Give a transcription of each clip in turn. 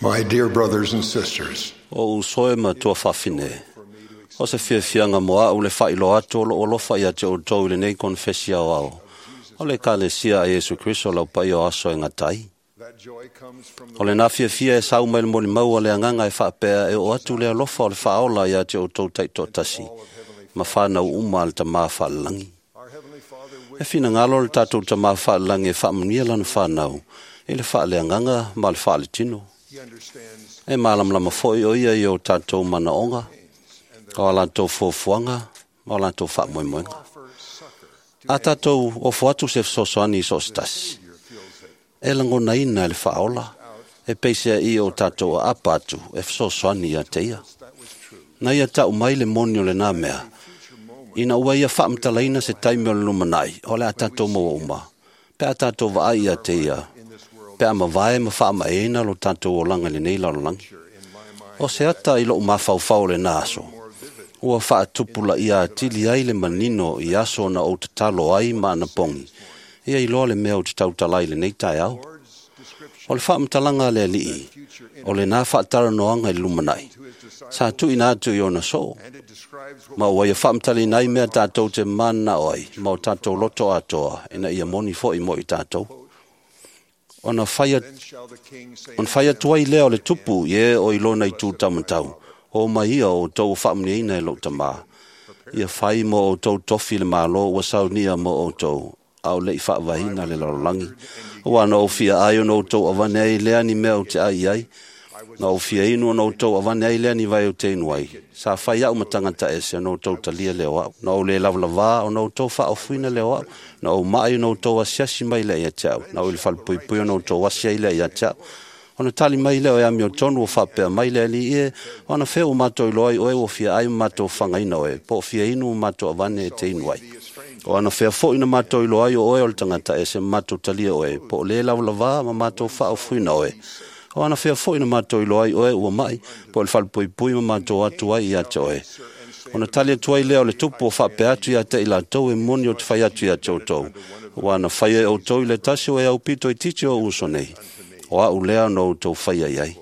My dear brothers and sisters, O usoe ma tua whawhine. O se fiafianga mo au le whailo atu o lo olofa ia te outou i lenei konfesi ao ao. O le kalesia a Iesu Kristo lau pai o aso e ngatai. that joy comes from the O le nā fiafia e sau mai le moli maua le anganga e whaapea e o atu le alofa o le whaola ia te outou taito tasi. Ma whanau uma le tamā whalangi. our Heavenly Father E wishes whina le tātou tamā whalangi e whaamanuia lana whanau. I le whaaleanganga ma le whaaletino. He understands E mālamalama foi o ia i o tātou manaonga, o a lātou fuafuaga, ma o lātou faamoemoega. offer succor to A tātou ofo atu se fesoasoani i so o se tasi. Savior feels it. E lagonaina e le faaola, e peisea i o tātou a apa atu e fesoasoani ia te ia. That was true. Na ia tau mai le moni o le nā mea, Future moment ina ua ia faamatalaina se taimi o le lumanai, o le a tātou maua uma. Pe a tātou vaai ia te ia, in this world pe a mavae ma faamaeina lo tātou olaga i lenei lalolagi. in my mind O se ata i lou mafaufau o lena aso. more vivid Ua faatupula ia atili ai le manino i aso na ou tatalo ai ma anapogi. Ia iloa le mea o te tautalai lenei taeao. Lord's description O le faamatalaga a le alii, o lenā faatalanoaga i le lumanai. to his disciples Sa tuuina atu i ona soo. and it describes what Ma ua ia faamatalaina ai mea tātou te manao ai, ma o tātou loto atoa, ina ia moni foi mo i tātou. Ona whai then shall the king say On whai atu ai lea o le tupu i e o i lona i tūtamatau. O mai ia o tau whaamniaina e lou tamā. Ia whai mo o tau tofi le malo ua saunia mo o tau. Au lei whaavahina le lalolagi. Ua na o fia ai o na o tau awane ai lea ni mea o te ai ai. Na o fia inu o na o tau awane ai lea ni vai o te inu ai. Sa whai au matangata ese o na o tau talia leo au. Na o le lawalawa o na o tau whaofuina leo au. Na o mai o na o tau asiasi mai lea ia te au. Na o i le whalepuipui o na o tau asi ai lea ia te au. Ona tali mai lea o e ami o tonu o whapea mai lea li e, ona whea o mātou i loai oe o fia ai o mātou whangaina oe, po o fia inu o mātou awane e te inu ai. O ana whea fo ina mātou i loai o oe o le tangata e se mātou talia oe, po o le lawalawa ma mātou whaofuina oe. O ana whea fo ina mātou i loai oe ua mai, po o le whalepuipui ma mātou atu ai ia te oe. Ona tali atu ai lea o le tupu o whapea atu ia te i lātou e moni o te whai atu ia te outou. O ana whai e outou i le tasi o e au pito i titi o uso nei. O au lea no outou whai ai ai.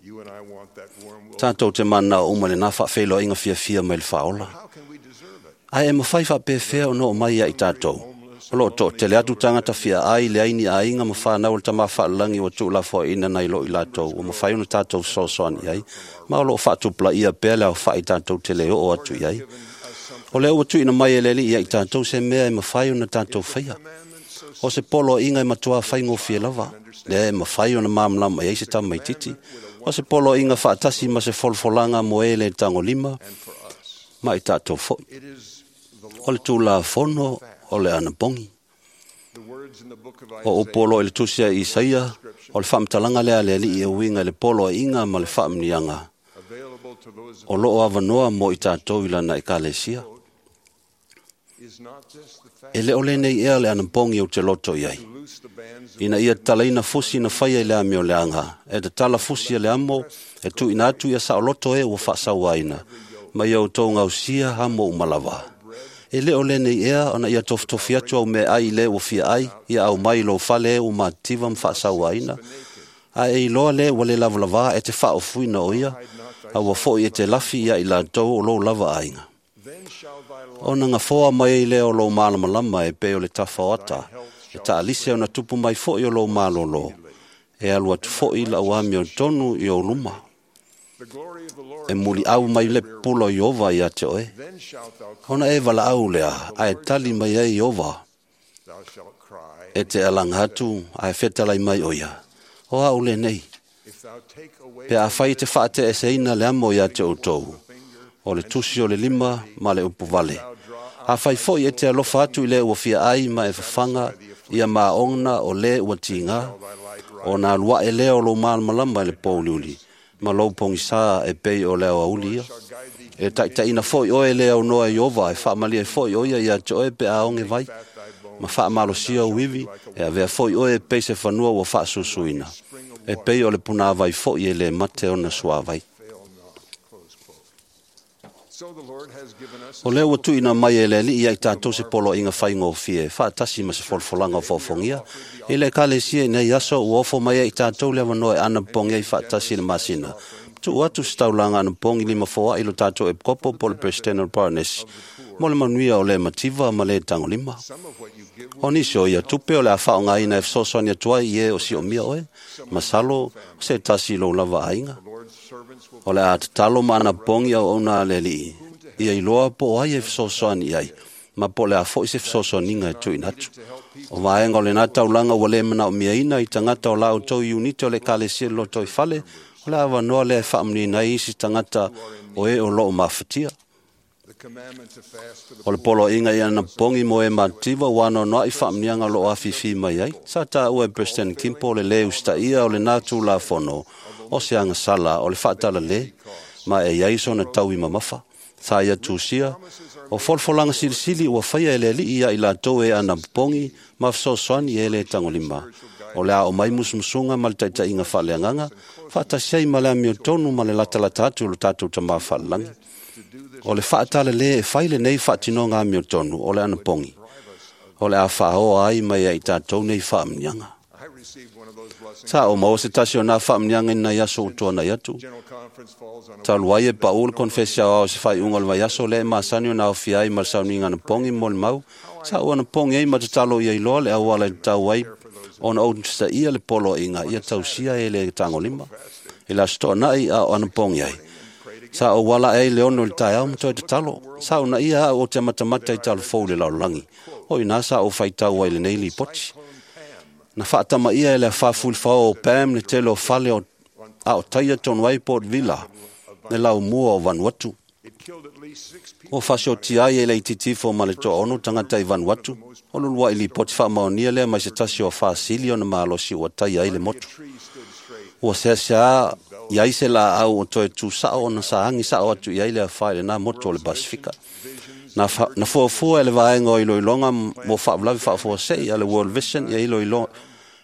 you and I want that warm will. Tātou te mana o uma le nā whaawhelo inga fia fia mai le whaola. How can we deserve it? Ai e mawhai whaapewhea o no mai ia i tātou. O lo tō tele atu tangata fia ai le aini a inga ma whanau le tama whaalangi o tū la fo ina nei lo i lātou. O mawhai ona tātou sosoani ai. Ma o lo whaatupla ia pea le au wha i tātou te leo o atu i ai. Given us something O lea ua tuina mai e leli ia i tātou se mea e mawhai ona tātou whaia. commandments so O se polo inga e matua whai ngōwhia lava. Lea e mawhai ona māmlama i ai se tama i titi. O se polo inga whaatasi ma se folfolanga mo e le tango lima and for us. ma i tātou foi. It is the law. O le tūla fono o le anapongi. The words in the book of O Isaiah upolo i le tusia i Isaia, o le whaamtalanga lea le ali i uinga i le polo a inga ma le whaamnianga. available to those O loo avanoa mo i tātou i lana i kalesia. is not this the fact E le ole nei ea le anapongi o te loto i ai. to loose the bands of Ina ia talaina fusi na whaia i le ami o le anga. E te tala fusi e le amo, e tu ina atu ia sa loto e ua whaasawaina. Ma ia o tō ngausia ha mo umalawa. E le ole nei ea, ona ia tofutofi atu au me ai le ua fia ai, ia au mai lo fale e ua mativa ma whaasawaina. A e iloa le ua le lawalawa e te whaofuina o ia, a ua foi e te lafi ia i lātou o lou lava ainga. then shall thy light Ona ngā whoa mai i leo lo malamalama e peo le tawhaoata, e taalise ona tupu mai foi o lo malolo, e alu atu foi la uami o tonu i o luma, the glory of the Lord e muli au mai le pulo i ova i ate oe. then shalt thou call Ona e wala au lea, a e tali mai ai i ova, thou shalt cry e te alanga atu, a e whetalai mai o ia. O au le nei, if thou take away pe a whai te whaate e seina le amo i ate o tau, o le tusi o le lima ma le upu vale. A whai foi e te alofa atu i le ua fia ai ma e whawhanga ia maonga o le ua tinga, thy light o nā lua e leo lo malamalama i le pōliuli, ma lou pongisa e pei o leo auli ia. shall guide thee E taitaina foi oe le au noa i ova, e whaamalia e foi oia ia te oe pe a onge vai, fat thy bones ma whaamalosia uivi, e avea foi oe e pei se whanua ua whaasusuina. E pei o le puna vai foi e le mate ona suavai. fail not close quote. O lea ua tuuina mai e le Alii ia i tatou se poloaiga faigofie, faatasi ma se folafolaga o foofogia. I le Ekalesia i nei aso ua ofo mai ai i tatou le avanoa e anapopogi ai faatasi i le masina. Tuu atu se taulaga anapopogi lima foai i lo tatou Epikopo po o le Peresetene o le Poronesi, mo le manuia o le mativa ma le tagolima. O nisi o ia tupe o le a faaaogaina e fesoasoani atu ai i e o siomia oe, masalo o se tasi i lou lava aiga. O le a tatalo ma anapopogi auauna a le Alii, ia iloa po o ai e fesoasoani i ai, ma po o le a foi se fesoasoaniga e tuuina atu. O vaega o lena taulaga ua le manaomiaina i tagata o la outou iunite o le Ekalesia i le lotoifale, o le avanoa lea e faamanuiaina ai isi tagata o e o loo mafatia. O le poloaiga i anapopogi mo e matitiva ua anoanoai faamanuiaga o loo afifi mai ai. Sa taua e President Kimpo le lē usitaia o lena Tulafono o se agasala o le faatalale, ma e i ai sona taui mamafa. Sa ia tusia, o folafolaga silisili ua faia e le Alii ia i latou e anapopogi ma fesoasoani e le tagolima. O le a oo mai musumusuga ma le taitaiga faaleagaga, faatasi ai ma le amiotonu ma le latalata atu o lo tatou Tama Faalelagi. O le faatalale e fai lenei faatinoga amiotonu o le anapogi, o le a faaoa ai mai ai i tatou nei faamanuiaga. Sa ou maua se tasi o nā faamanuiaga i nai aso ua tuanai atu. Talu ai e pau le konfesi aoao i se faaiuga o le vaiaso lea e masani ona aofia ai ma le sauniga anapogi mo le mau, sa ou anapogi ai ma tatalo ia iloa le auala e tatau ai ona ou usitaia le poloaiga ia tausia e le tagolima. I le Aso Toonai a o anapogi ai, sa ou ala ai le 6 i le taeao ma toe tatalo. Sa uunaia au ou te matamata i talafou i le lalolagi. O i nā sa ou faitau ai i lenei lipoti. Na faatamaia e le afa fulifao o Pam le tele o fale o a o taia tonu ai Port Vila, le laumua o Vanuatu. Ua fasiotia ai e le itiiti ifo ma le 60 tagata i Vanuatu. O le uluai lipoti faamaonia lea mai se tasi o afā sili ona malosi ua taia ai le motu. Ua seasea i ai se laau o toe tusao ona sa agi sao atu i ai le afa i lena motu o le Pasifika. Na, fa, na fuafua e le vaega o iloiloga mo faalavelave faafuasei a le World Vision ia iloilo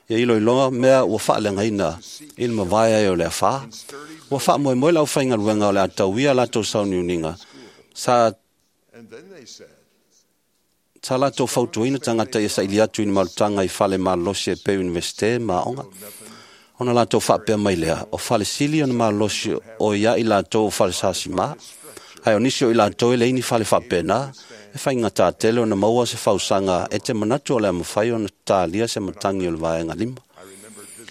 ia iloiloga mea ua faaleagaina i le mavae ai o le afā. Ua faamoemoe le aufaigaluega o le a tauia latou sauniuniga sa sa latou fautuaina tagata ia saili atu i ni malutaga i fale malolosi e pei o Universite ma aoga. Ona latou faapea mai lea, o fale sili ona malolosi o ia i latou o fale sasima. Ae o nisi o i latou e leai ni fale faapena, e faigata tele ona maua se fausaga e te manatu o le a mafai ona talia se matagi o le vaega 5.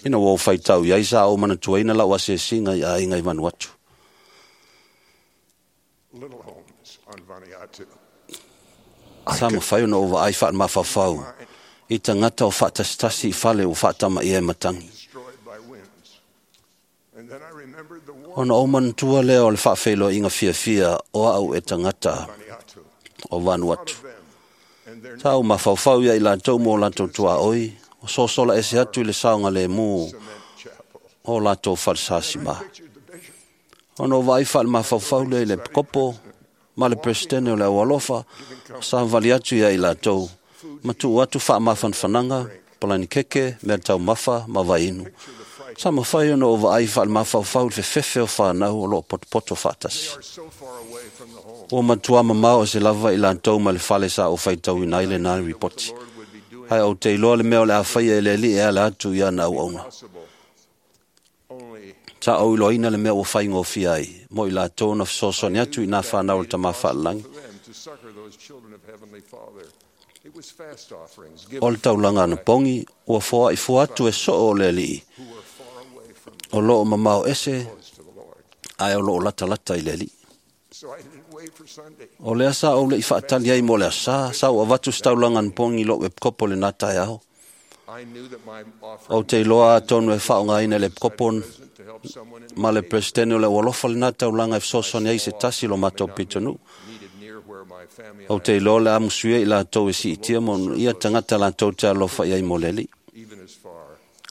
Ina ua ou faitau i ai sa ou manatuaina lau asiasiga i aiga i Vanuatu. Little homes on Vanuatu. Sa mafai ona ou vaai faalemafaofao i tagata o faatasitasi i fale ua faatamaia e matagi. Destroyed by winds. And then I remembered the war Ona ou manatua lea o le faafeiloaiga fiafia o au e tagata Vanuatu. o Vanuatu. Of them and their Sa ou mafaufau ia i latou mo latou tuaoi, o sosola ese atu i le saogalemu cement chapel. o latou falesasima. Pictured the bishop Ona ou vaai faalemafaofao lea i le Epikopo ma le Peresetene o le Aualofa, sa vali atu ia i latou, ma tuu atu faamafanafanaga, palani keke, mea taumafa ma vainu. Sa mafai ona ou vaai faalemafaofao i le fefefe o fanau o loo potopoto faatasi. are so far away from the home. Ua matua mamao e se lava i latou ma le fale sa ou faitauina ai lena ripoti. Lord would be doing Ae ou te iloa le mea o le a faia e le Alii e ala atu i ana auauna. possible. Only Sa ou iloaina le mea ua faigofie ai, mo i latou na fesoasoani atu i nā whanau o le Tama Faalelagi. for them to succor those children of Heavenly Father. It was fast offerings O given le taulaga anapogi, ua foai fua atu e soo o le Alii, who were far away from o loo mamao ese, close to the Lord. ae o loo latalata i le Alii. So I didn't wait for Sunday. O lea sa ou lei faatali ai mo le asa, sa ou avatu se taulaga anapogi i lou epikopo lena taeao. I knew that my offering Ou te iloa atonu e faaaogaina e le epikopo present to help someone in ma le Peresetene o le Aualofa lena taulaga e fesoasoani ai se tasi lo matou pitonuu. needed near where my family and Ou te iloa le a musuia i latou e siitia mo ia tagata latou te alofa i ai mo le Alii. even as far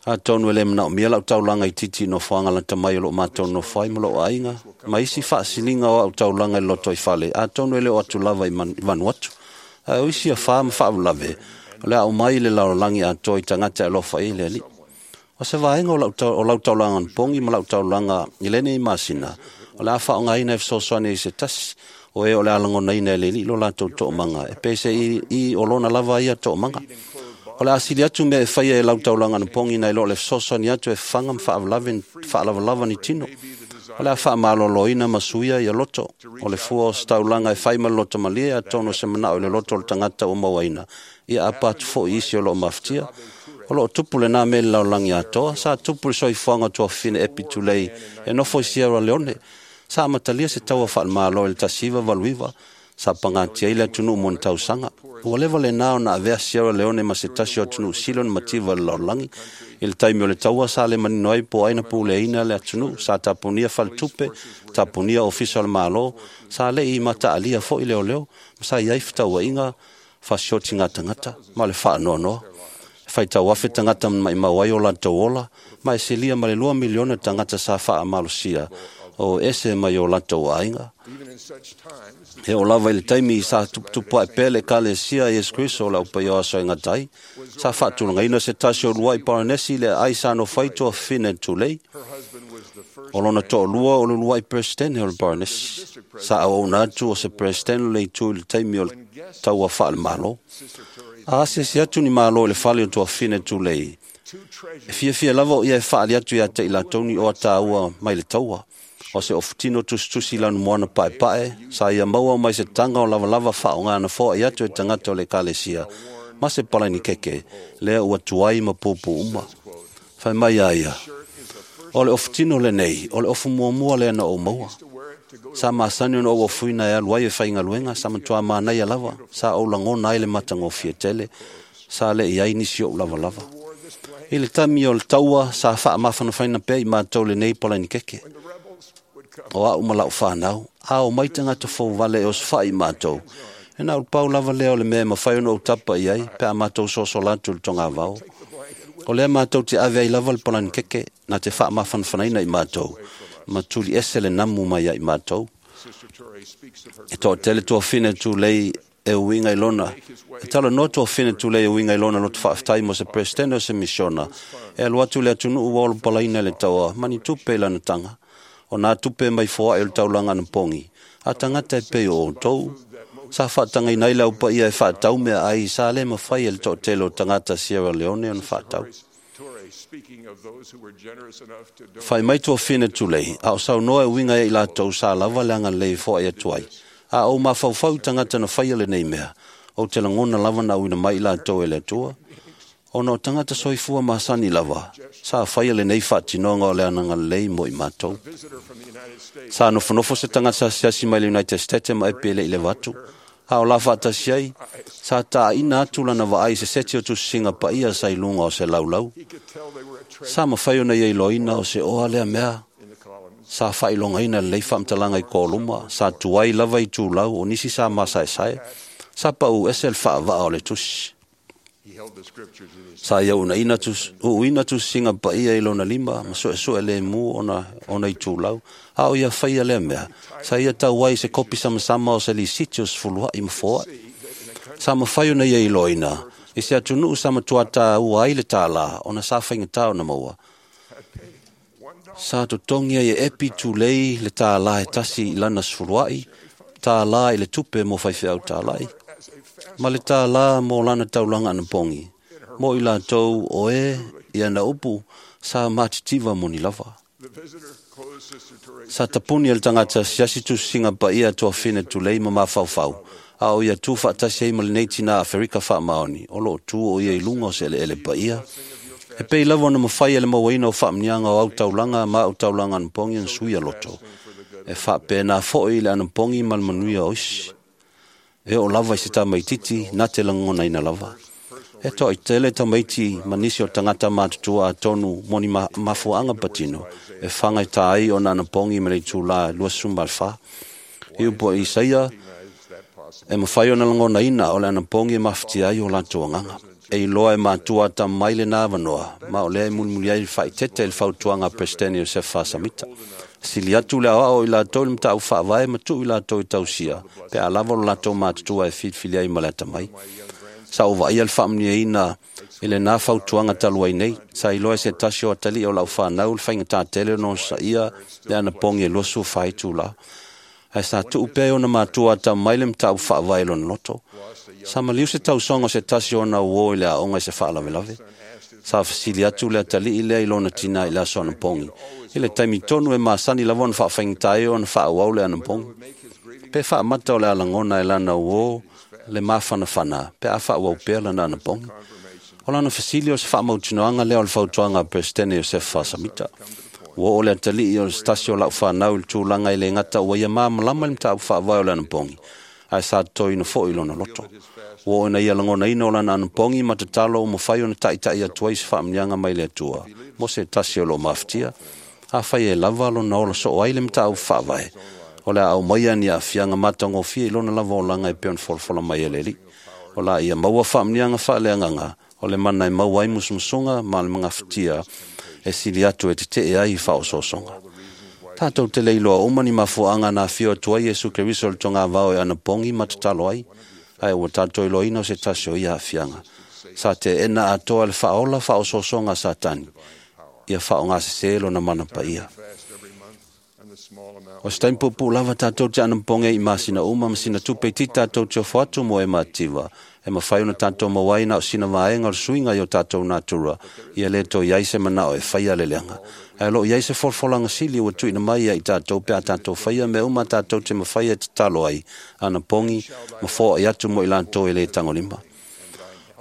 Atonu e le manaomia lau taulaga i titi i nofoaga lata mai o loo matou nofo ai ma loo aiga, ma isi faasiliga o au taulaga i le loto i fale, atonu e le o atu lava i i Vanuatu. Ae o isi afā ma faalavelave, o le a aumai i le lalolagi atoa i tagata e alofa i ai le Alii. O se vaega o lau, o lau taulaga anapogi ma lau taulaga i lenei masina, o le a faaaogaina e fesoasoani ai se tasi O e o le alagonaina e le alii lo latou toomaga, e pei se i o lona lava ia toomaga. O le asili atu mea e faia e lau taulaga anapogi nai lo o le fesoasoani atu e fafaga ma faalavalava ni tino. O le a faamaloloina ma suia ia loto. O le fua o se taulaga e fai ma le loto malie atonu o se manao i le loto o le tagata ua mauaina, ia apa atu foi isi o loo mafatia. O loo tupu lena mea i le lalolagi atoa, sa tupu le soifuaga o tuafafine Epi Tulei e nofo i Sierra Leone. Sa amatalia se taua faalemalo i le 1989, sa pagatia ai le atunuu mo ni tausaga. Ua leva lena ona avea Sierra Leone ma se tasi o atunuu sili ona mativa i le lalolagi. I le taimi o le taua sa le manino ai po o ai na puleaina le atunuu, sa tapunia faletupe, tapunia ofisa o le Malo, sa le i mataalia foi leoleo, ma sa i ai fetauaiga fasioti gatagata ma le faanoanoa. E faitau afe tagata maimau ai o latou ola, ma e silia ma le 2 miliona tagata sa faamalosia o ese mai o latou aiga. Even in such times, E o lava i le taimi sa tuputupu ae pea le ekalesia Iesu Kriso o le aupaia o aso e gata ai, sa faatulagaina se tasi o luai Paranesi le aai sa nofo ai tuafafine Tulei. her husband was the first O lona toalua o le luai Peresetene o le Paranesi. Sa auauna atu o se Peresetene o le itu i le taimi o le taua faalemalo. Sister Turey's A asiasi atu ni malo i le fale o tuafafine Tulei, two treasures e fiafia lava o ia e faali atu ia te i latou ni oa tāua mai le taua. O se ofutino tusitusi lanu moana paepae, sa ia maua mai se tanga o lavalava faaaoga foai atu e tagata o le ekalesia, ma se palani keke, lea ua tuai ma pupu uma. Fai mai a ia, shirt is the first o le ofutino lenei, o le ofu muamua lea na ou maua. to wear it to go to Sa masani ona ou ofuina e alu ai e faigaluega, sa matua manaia lava, sa ou lagona ai le matagofie tele, sa le i ai nisi ou lavalava. war this blanket. I le taimi o le taua, sa faamafanafaina pea i matou lenei palani keke. When the rebels would come, O au ma lau whanau, a o mai tagata fou vale e osofai i mātou. E na pau lava lea o le mea e mawhai ona ou tapa i ai, pe a mātou soso latu le tonga vao. take the blanket with O lea mātou te ave ai lava le palani keke, na te whaamawhanawhanaina i mātou, ma tuli ese le namu mai ai mātou. Sister Turey speaks of her E toa tele tuafafine Tulei e uiga i lona. E tala noa tuafafine Tulei e uiga i lona loto faafetai mo se Peresetene o se misiona. E alu atu le atunuu ua olopalaina le taua, mani tupe i lana taga. O nā tupe mai foai o le taulaga anapogi. A tagata e pei o outou. Sa faatagaina ai le aupaia e faatau mea ai sa le mafai e le toatele o tagata Sierra Leone ona faatau. Turey speaking of those who were generous enough to donate Fai mai tuafafine Tulei, a o saunoa e uiga ia i latou sa lava le agalelei e foai atu ai. A ou mafaufau i tagata na faia lenei mea, ou te lagona lava na auina mai i latou e le Atua. Ona o tagata soifua masani lava, sa faia lenei faatinoga o le agalelei mo i matou. visitor from the United States Sa nofonofo se tagata asiasi mai le United States ma epi e le i leva atu. A o la faatasi ai, sa taaina atu lana vaai i se seti o tusisiga paia sa i luga o se laulau. he could tell they were a treasure Sa mafai ona ia iloaina o se oa lea mea, in the columns. sa faailogaina lelei faamatalaga i koluma, sa tuai lava i tulau o nisi sa masaesae, sa pau ese le faavaa o le tusi. He held the scriptures in his Sa ia unaina tus, uuina tusisiga paia i lona lima, ma suesue le mu ona i tulau. A o ia faia lea mea, sa ia tau ai se kopi samasama o se lisiti o sefuluai ma foai. see that in a country Sa mafai ona ia iloaina, i se atunuu sa matua tāua ai le tālā, ona sa faigata ona maua. had paid $1 Sa totogi ai e Epi Tulei le tālā e tasi i lana sefuluai, tālā i le tupe mo faifeau tālai, as a fast ma le tālā mo lana taulaga anapogi. Mo i latou o e ia na upu, sa matitiva mo ni lava. The visitor closed Sister Turey's Sa tapuni e le tagata asiasi tusisiga paia tuafafine Tulei ma mafaufau, a o ia tu faatasi ai ma lenei tina Aferika faamaoni, o loo tu o ia i luga o se eleele paia. E pei lava ona mafai e le mauaina o faamanuiaga o au taulaga ma au taulaga anapogi ona suia loto. E faapena foi le anapogi ma le manuia o isi. E oo lava i se tamaititi, na te lagonaina lava. E toatele tamaiti ma nisi o tagata matutua atonu mo ni mafuaaga patino, e fagaita ai ona anapogi ma le itulā 24. I upu a Isaia, recognized that possibility. e mafai ona lagonaina o le anapogi e mafatia ai o latou agaga. E iloa e matua ata mai lena avanoa, ma o lea e mulimuli ai le faaitete i le fautuaga a Peresetene Iosefa Faasamita. Sili atu le aoao i latou i le mataupu faavae ma tuu i latou i tausia, pe a lava o le latou matutua e filifili ai ma le atamai. Sa ou vaaia le faamanuiaina i lenā fautuaga talu ai nei, sa iloa e se tasi o atalii o lau fanau le faigatā tele ona onosaia le anapogi e 24 itulā. Ae sa tuu pea e ona matua atamai le mataupu faavae i lona loto. Sa maliu se tausoga o se tasi o ona uō i le aoga i se faalavelave. Sa fesili atu le atalii lea i lona tinā i le aso anapogi, i le taimi tonu e masani lava ona faafaigata ai ona faaauau le anapogi, pe faamata o le a lagona e lana uō le mafanafana pe a faaauau pea lana anapogi. O lana fesili o se faamautinoaga lea o le fautuaga a Peresetene Iosefa Samita. Ua oo le atalii o se tasi o lau fanau i le tulaga e le gata ua ia malamalama i le mataupu faavae o le anapogi, ae sa totoina foi i lona loto. Ua oo ina ia lagonaina o lana anapogi ma tatalo ua mafai ona taitai atu ai se faamanuiaga mai le Atua mo se tasi o lo o mafatia. Afai e lava lona ola soo ai le mataupu faavae, o le a aumaia ni aafiaga matagofie i lona lava olaga e pei ona folafola mai e le Alii. O la ia maua faamanuiaga faaleagaga o le mana e maua ai musumusuga ma le magafatia e sili atu e tetee ai i faaosoosoga. Tatou te le iloa uma ni mafuaaga na afio atu ai Iesu Keriso i le togavao e anapogi ma tatalo ai, ae ua tatou iloaina o se tasi o ia aafiaga. Sa teena atoa e le faaola faaosoosoga a Satani, ia faaaogasesē lona mana paia. Fast every month and the small amount O se taimi puupuu lava tatou te anapogi ai i masina uma ma sina tupe itiiti tatou te ofo atu mo e mativa, e mafai ona tatou maua ai na o sina vaega o le suiga i o tatou natura, ia le toe i ai se manao e faia le leaga. Ae o loo i ai se folafolaga sili ua tuuina mai ia i tatou pe a tatou faia mea uma tatou te mafai e tatalo ai, anapogi ma foai atu mo i latou e le tagolima.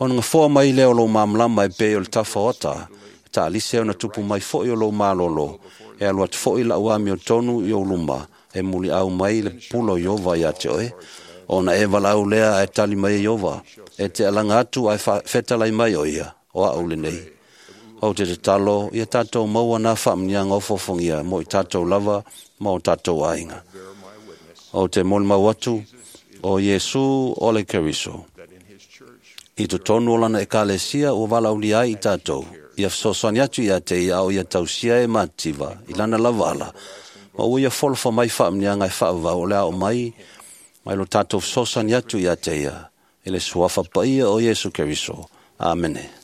Ona gafoa mai lea o lou malamalama e pei o le tafa o ata, e taalise ona tupu mai foi o lou malolo, e alu atu foi lau amiotonu i ou luma, e muliau mai le pula o Ieova ia te oe. Ona e valaau lea ae tali mai e Ieova, e te alaga atu ae fetalai mai o ia, o au lenei. Ou te tatalo, ia tatou maua nā faamanuiaga ofoofogia mo i tatou lava ma o tatou aiga. bear my witness Ou te molimau atu, o Iesu o le Keriso. that in his church I totonu o lana ekalesia ua valaaulia ai i tatou, ia fesoasoani atu ia te ia a o ia tausia e mativa i lana lava ala, ma ua ia folofa mai faamanuiaga e faavavau o le a oo mai, mai lo tatou fesoasoani atu ia te ia, i le suafa paia o Iesu Keriso. Amene.